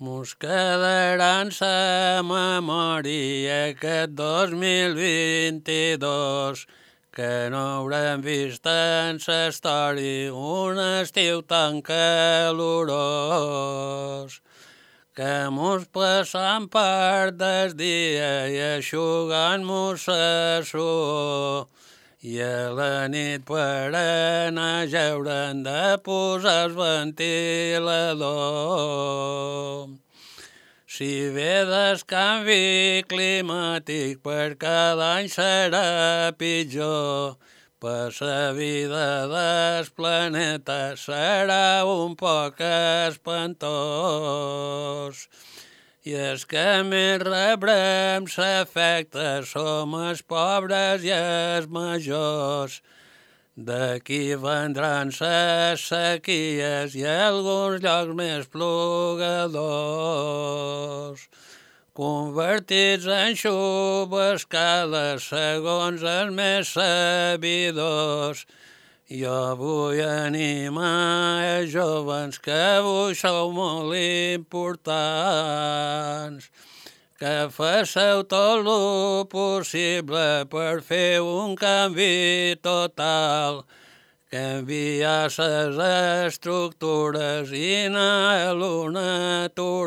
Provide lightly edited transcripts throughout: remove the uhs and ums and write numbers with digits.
Mos quedaran sa memòria aquest 2022 que no haurem vist en sa història un estiu tan calorós, que mos passam part del dia i eixugant-mos la suor, i a la nit per anar a jeure hem de posar el ventilador. Si ve del canvi climàtic per cada any serà pitjor, per la vida del planeta serà un poc espantós. I els que més rebrem l'efecte som els pobres i els majors. D'aquí vendran les sequies i alguns llocs més plogadors, convertits en xubascades segons els més sabidors. Jo vull animar els jovens que avui sou molt importants, que féssiu tot lo possible per fer un canvi total, canviar les estructures i anar a lo natural.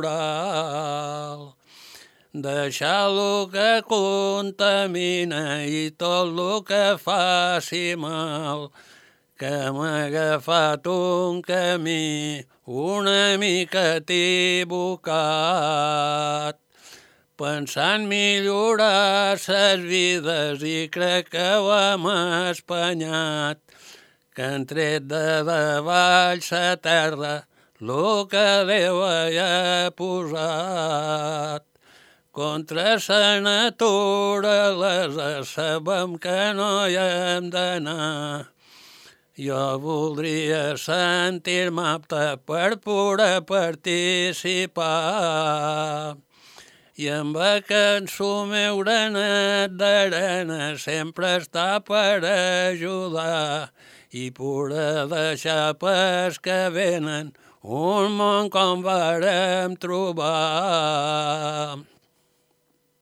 Deixar lo que contamina i tot lo que faci mal, que hem agafat un camí una mica equivocat, pensant millorar ses vides i crec que ho hem espanyat, que han tret de davall la terra lo que Déu hi ha posat. Contra la naturalesa sabem que no hi hem d'anar. Jo voldria sentir-me apte per poder participar. I amb aquest meu granet d'arena sempre està per ajudar i poder deixar pels que venen un món com vàrem trobar.